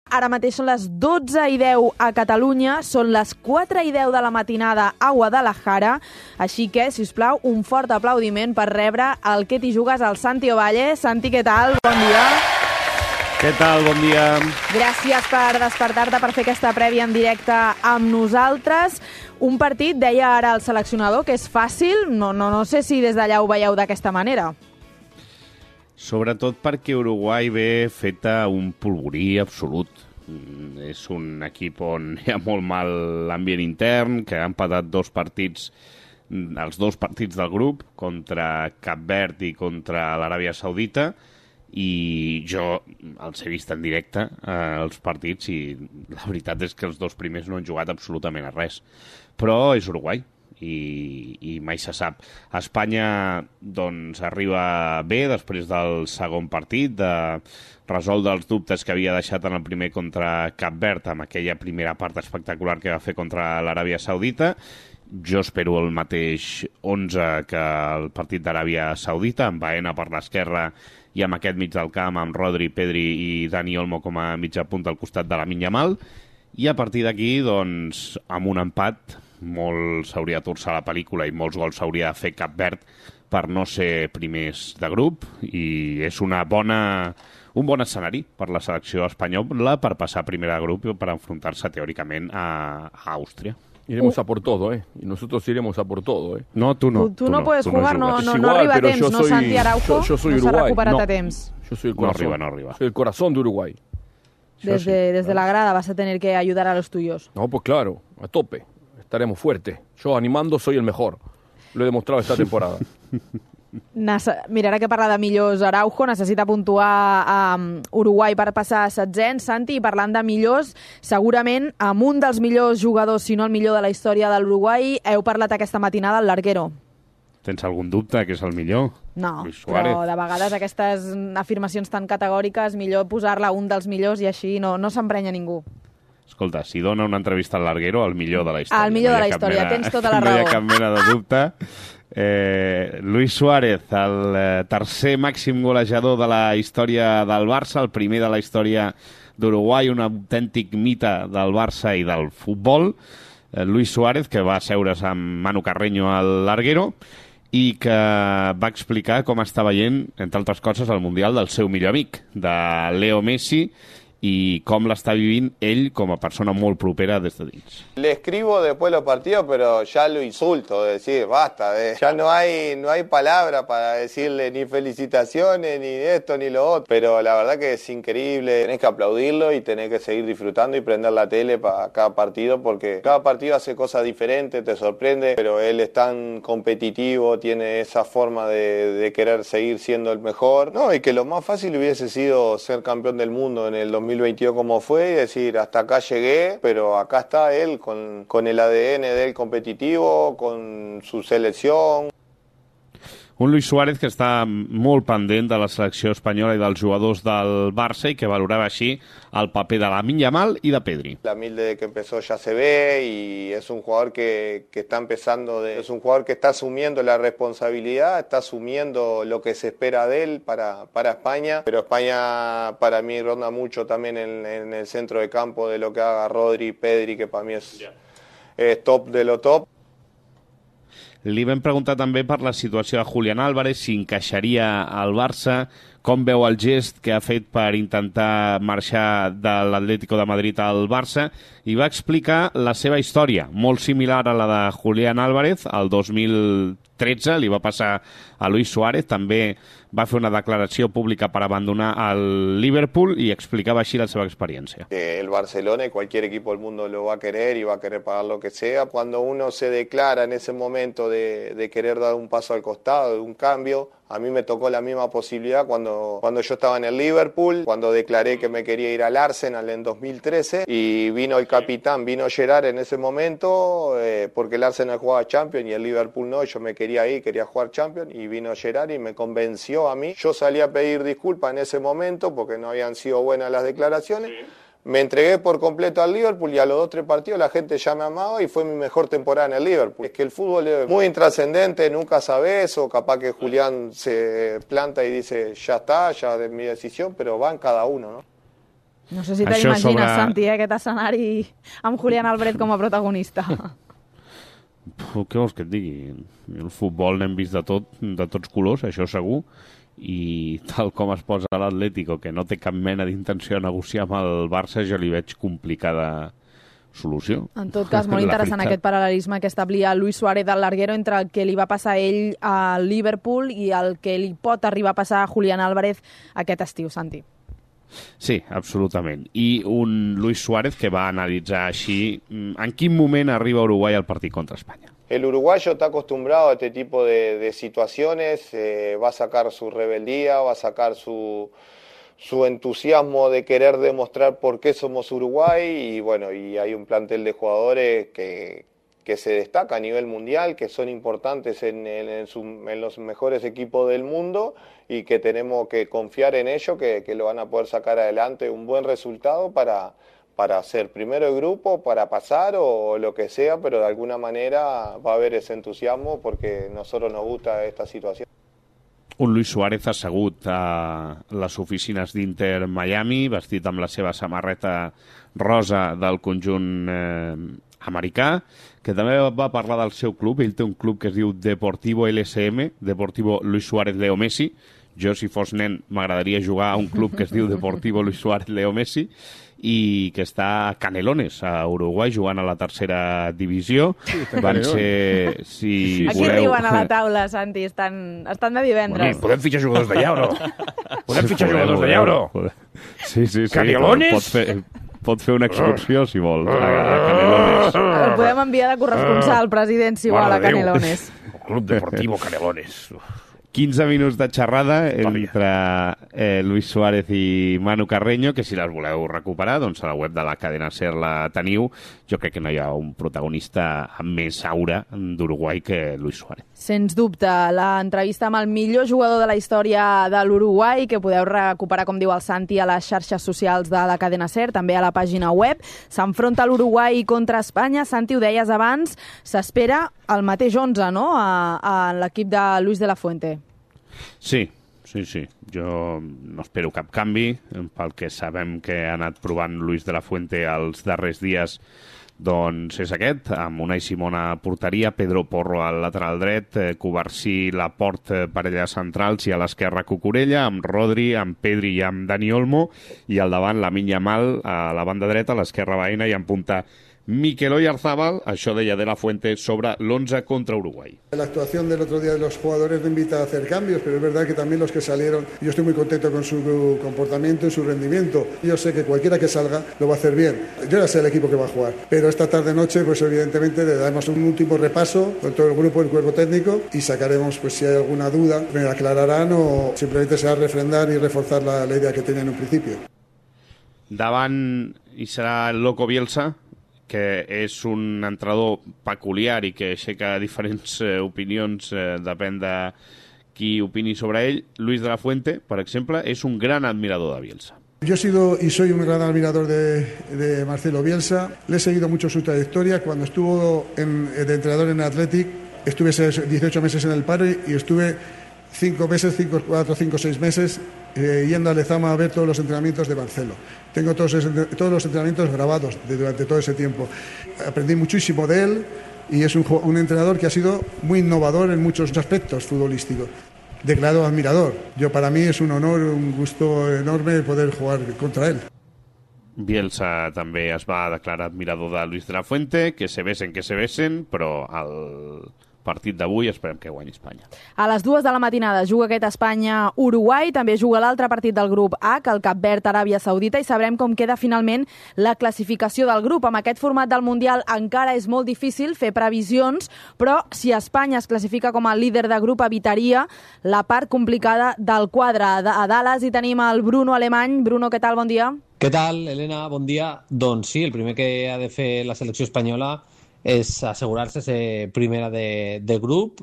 Ara mateix són les 12:10 a Catalunya, són les 4:10 de la matinada a Guadalajara, així que, si us plau, un fort aplaudiment per rebre el que t'hi jugues al Santi Ovalle. Santi, què tal? Bon dia. Què tal? Bon dia. Gràcies per despertar-te per fer aquesta prèvia en directe amb nosaltres. Un partit, deia ara el seleccionador, que és fàcil. No sé si des d'allà ho veieu d'aquesta manera. Sobretot perquè Uruguai ve feta un polvorí absolut. És un equip on hi ha molt mal l'ambient intern, que ha empatat els dos partits del grup, contra Cap Verd i contra l'Aràbia Saudita, i jo els he vist en directe, els partits, i la veritat és que els dos primers no han jugat absolutament a res. Però és Uruguai. I mai se sap. Espanya doncs arriba bé després del segon partit, de resoldre els dubtes que havia deixat en el primer contra Cap Verd amb aquella primera part espectacular que va fer contra l'Aràbia Saudita. Jo espero el mateix 11 que el partit d'Aràbia Saudita, amb Baena per l'esquerra i amb aquest mig del camp, amb Rodri, Pedri i Dani Olmo com a mitja punta al costat de Lamine Yamal. I a partir d'aquí, doncs, amb un empat, molt s'hauria de torçar la pel·lícula i molts gols s'hauria de fer Cap Verd per no ser primers de grup, i és un bon escenari per la selecció espanyola per passar primera de grup i per enfrontar-se teòricament a Àustria. Iremos a por todo, ¿eh? Y nosotros iremos a por todo, ¿eh? No, tú no. Tú no puedes jugar, no igual, arriba a pero temps, no Santi Araujo, yo soy no s'ha Uruguay. recuperat a temps. Yo soy el corazón. No arriba. Soy el corazón de Uruguay. Desde la grada vas a tener que ayudar a los tuyos. No, pues claro, a tope. Estaremos fuertes. Yo animando soy el mejor. Lo he demostrado esta temporada. Mira, ara que parla de millors, Araujo necessita puntuar a Uruguai per passar a setzents. Santi, i parlant de millors, segurament amb un dels millors jugadors, si no el millor de la història de l'Uruguai, heu parlat aquesta matinada al larguero. Tens algun dubte que és el millor? No, però de vegades aquestes afirmacions tan categòriques, millor posar-la a un dels millors i així no s'emprenya ningú. Escolta, si dona una entrevista al larguero, el millor de la història. El millor de la història, tens tota la raó. No hi ha cap mena de dubte. Luis Suárez, el tercer màxim golejador de la història del Barça, el primer de la història d'Uruguai, un autèntic mite del Barça i del futbol. Luis Suárez, que va asseure's amb Manu Carreño al larguero i que va explicar com està veient, entre altres coses, el Mundial del seu millor amic, de Leo Messi, y cómo la está viviendo él como persona muy propera desde dins. Le escribo después los partidos, pero ya lo insulto, decir, basta, ya no hay palabra para decirle ni felicitaciones, ni esto, ni lo otro, pero la verdad que es increíble, tenés que aplaudirlo y tenés que seguir disfrutando y prender la tele para cada partido, porque cada partido hace cosas diferentes, te sorprende, pero él es tan competitivo, tiene esa forma de querer seguir siendo el mejor, no, y que lo más fácil hubiese sido ser campeón del mundo en el 2022 como fue y decir hasta acá llegué, pero acá está él con el ADN de él competitivo, con su selección. Un Luis Suárez que està molt pendent de la selecció espanyola i dels jugadors del Barça i que valorava així el paper de Lamine Yamal y de Pedri. Lamine desde que empezó ya se ve y es un jugador que está empezando, es un jugador que está asumiendo la responsabilidad, está asumiendo lo que se espera de él para España, pero España para mí ronda mucho también en el centro de campo de lo que haga Rodri, Pedri, que para mí es top de lo top. Li vam preguntar també per la situació de Julián Álvarez, si encaixaria al Barça, com veu el gest que ha fet per intentar marxar de l'Atlético de Madrid al Barça, i va explicar la seva història, molt similar a la de Julián Álvarez. El 2013 li va passar a Luis Suárez, també va fer una declaració pública per abandonar el Liverpool i explicava així la seva experiència. El Barcelona y cualquier equipo del mundo lo va a querer y va a querer pagar lo que sea. Cuando uno se declara en ese momento de querer dar un paso al costado, de un cambio, a mí me tocó la misma posibilidad cuando yo estaba en el Liverpool, cuando declaré que me quería ir al Arsenal en 2013 y vino el capitán, vino Gerrard en ese momento, porque el Arsenal jugaba Champions y el Liverpool no, yo me quería ir, quería jugar Champions, y vino Gerrard y me convenció a mí. Yo salí a pedir disculpas en ese momento porque no habían sido buenas las declaraciones. Me entregué por completo al Liverpool y a los 2-3 partidos la gente ya me amaba y fue mi mejor temporada en el Liverpool. Es que el fútbol es muy intrascendente, nunca sabes, o capaz que Julián se planta y dice ya está, ya es mi decisión, pero va en cada uno, ¿no? No sé si te l'imagines, Santi, aquest escenari amb Julián Álvarez com a protagonista. Què vols que et digui? El futbol n'hem vist de tots colors, això segur, i tal com es posa l'Atlético, que no té cap mena d'intenció de negociar amb el Barça, jo li veig complicada solució. En tot cas, molt interessant aquest paral·lelisme que establia Luis Suárez del Larguero entre el que li va passar a ell a Liverpool i el que li pot arribar a passar a Julián Álvarez aquest estiu, Santi. Sí, absolutament. I un Luis Suárez que va analitzar així en quin moment arriba Uruguay al partit contra España. El uruguayo está acostumbrado a este tipo de situaciones, va a sacar su rebeldía, va a sacar su entusiasmo de querer demostrar por qué somos Uruguay y bueno, y hay un plantel de jugadores que se destaca a nivel mundial, que son importantes en los mejores equipos del mundo y que tenemos que confiar en ellos, que lo van a poder sacar adelante un buen resultado para ser primero de grupo, para pasar o lo que sea, pero de alguna manera va a haber ese entusiasmo porque a nosotros nos gusta esta situación. Un Luis Suárez assegut a les oficines d'Inter Miami, vestit amb la seva samarreta rosa del conjunt americà, que també va parlar del seu club. Ell té un club que es diu Deportivo LSM, Deportivo Luis Suárez Leo Messi. Jo, si fos nen, m'agradaria jugar a un club que es diu Deportivo Luis Suárez Leo Messi i que està a Canelones, a Uruguai, jugant a la tercera divisió. Sí, van ser, si Aquí voleu... riuen a la taula, Santi, estan de divendres. Bueno, podem fitxar jugadors d'allà o no? Podem fitxar jugadors d'allà o no? Sí. Canelones? Pot fer una excursió, si vol, a Canelones. El podem enviar de corresponsal, president, si vol, a Canelones. El Club Deportivo Canelones. 15 minuts de xerrada entre Luis Suárez i Manu Carreño, que si les voleu recuperar, doncs a la web de la cadena SER la teniu. Jo crec que no hi ha un protagonista amb més aura d'Uruguai que Luis Suárez. Sens dubte, l'entrevista amb el millor jugador de la història de l'Uruguai, que podeu recuperar, com diu el Santi, a les xarxes socials de la cadena SER, també a la pàgina web. S'enfronta l'Uruguai contra Espanya. Santi, ho deies abans, s'espera el mateix 11, no?, a l'equip de Luis de la Fuente. Sí. Jo no espero cap canvi. Pel que sabem que ha anat provant Luis de la Fuente els darrers dies, doncs és aquest, amb Unai Simón a porteria, Pedro Porro al lateral dret, Covarsí, Laporte, parella centrals, i a l'esquerra Cucurella, amb Rodri, amb Pedri i amb Dani Olmo, i al davant Lamine Yamal a la banda dreta, a l'esquerra Baena, i en punta Mikel Oyarzabal. Això deia de la Fuente sobre l'11 contra Uruguay. La actuación del otro día de los jugadores me invita a hacer cambios, pero es verdad que también los que salieron, yo estoy muy contento con su comportamiento y su rendimiento. Yo sé que cualquiera que salga lo va a hacer bien. Yo ya sé el equipo que va a jugar, pero esta tarde-noche pues evidentemente le damos un último repaso con todo el grupo, el cuerpo técnico, y sacaremos, pues si hay alguna duda, me aclararán o simplemente se va a refrendar y reforzar la idea que tenía en un principio. Davant hi serà el Loco Bielsa, que és un entrenador peculiar i que aixeca diferents opinions, depèn de qui opini sobre ell. Luis de la Fuente, per exemple, és un gran admirador de Bielsa. Yo he sido y soy un gran admirador de Marcelo Bielsa. Le he seguido mucho su trayectoria. Cuando estuvo de entrenador en Athletic, estuve 18 meses en el paro y estuve 4, 5, 6 meses yendo a Lezama a ver todos los entrenamientos de Marcelo. Tengo todos los entrenamientos grabados durante todo ese tiempo. Aprendí muchísimo de él y es un entrenador que ha sido muy innovador en muchos aspectos futbolísticos. Declarado admirador. Para mí es un honor, un gusto enorme poder jugar contra él. Bielsa també es va declarar admirador de Luis de la Fuente, que se besen, però el partit d'avui esperem que guanyi Espanya. A les 2 de la matinada juga aquest Espanya-Uruguai, també juga l'altre partit del grup H, el Cap Verd-Aràbia Saudita, i sabrem com queda finalment la classificació del grup. Amb aquest format del Mundial encara és molt difícil fer previsions, però si Espanya es classifica com a líder de grup evitaria la part complicada del quadre. A Dallas hi tenim el Bruno Alemany. Bruno, què tal? Bon dia. Què tal, Helena? Bon dia. Doncs sí, el primer que ha de fer la selecció espanyola és assegurar-se ser primera de grup.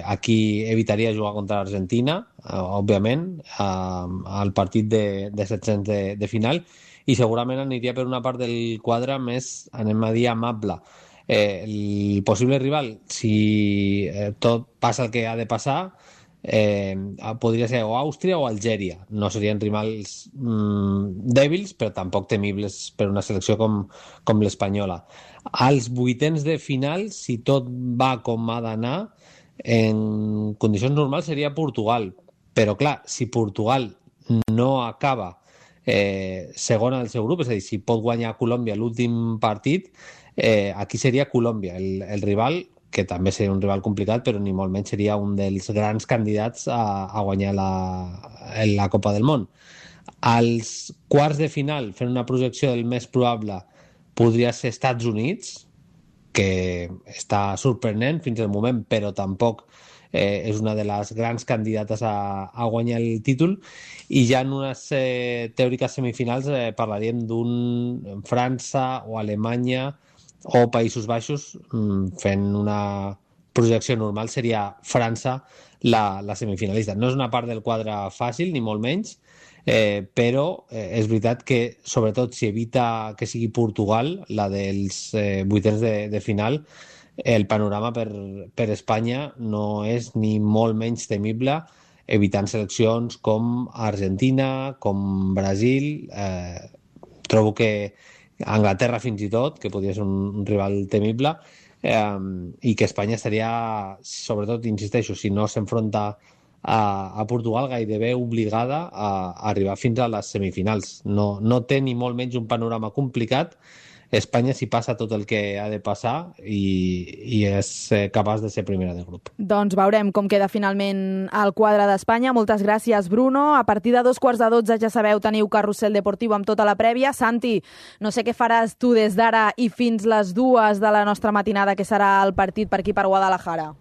Aquí evitaria jugar contra l'Argentina, òbviament, al partit de 700 de final, i segurament aniria per una part del quadre més, anem a dir, amable. El possible rival, si tot passa el que ha de passar, podria ser o Àustria o Algèria. No serien rivals dèbils, però tampoc temibles per una selecció com l'espanyola. Als vuitens de final, si tot va com ha d'anar, en condicions normals seria Portugal. Però clar, si Portugal no acaba segona del seu grup, és a dir, si pot guanyar Colòmbia l'últim partit, aquí seria Colòmbia el rival, que també seria un rival complicat, però ni molt menys seria un dels grans candidats a guanyar la Copa del Món. Als quarts de final, fent una projecció del més probable, podria ser Estats Units, que està sorprenent fins al moment, però tampoc és una de les grans candidates a guanyar el títol, i ja en unes teòriques semifinals parlaríem d'un França o Alemanya o Països Baixos. Fent una projecció normal seria França la semifinalista. No és una part del quadre fàcil, ni molt menys, però és veritat que, sobretot si evita que sigui Portugal, la dels vuitens de final, el panorama per Espanya no és ni molt menys temible, evitant seleccions com Argentina, com Brasil. Trobo que Anglaterra fins i tot, que podria ser un rival temible, i que Espanya estaria, sobretot, insisteixo, si no s'enfronta a Portugal, gairebé obligada a arribar fins a les semifinals. No té ni molt menys un panorama complicat Espanya si passa tot el que ha de passar i és capaç de ser primera de grup. Doncs veurem com queda finalment el quadre d'Espanya. Moltes gràcies, Bruno. A partir de 2:15, ja sabeu, teniu Carrusel Deportiu amb tota la prèvia. Santi, no sé què faràs tu des d'ara i fins les 2 de la nostra matinada, que serà el partit per aquí per Guadalajara.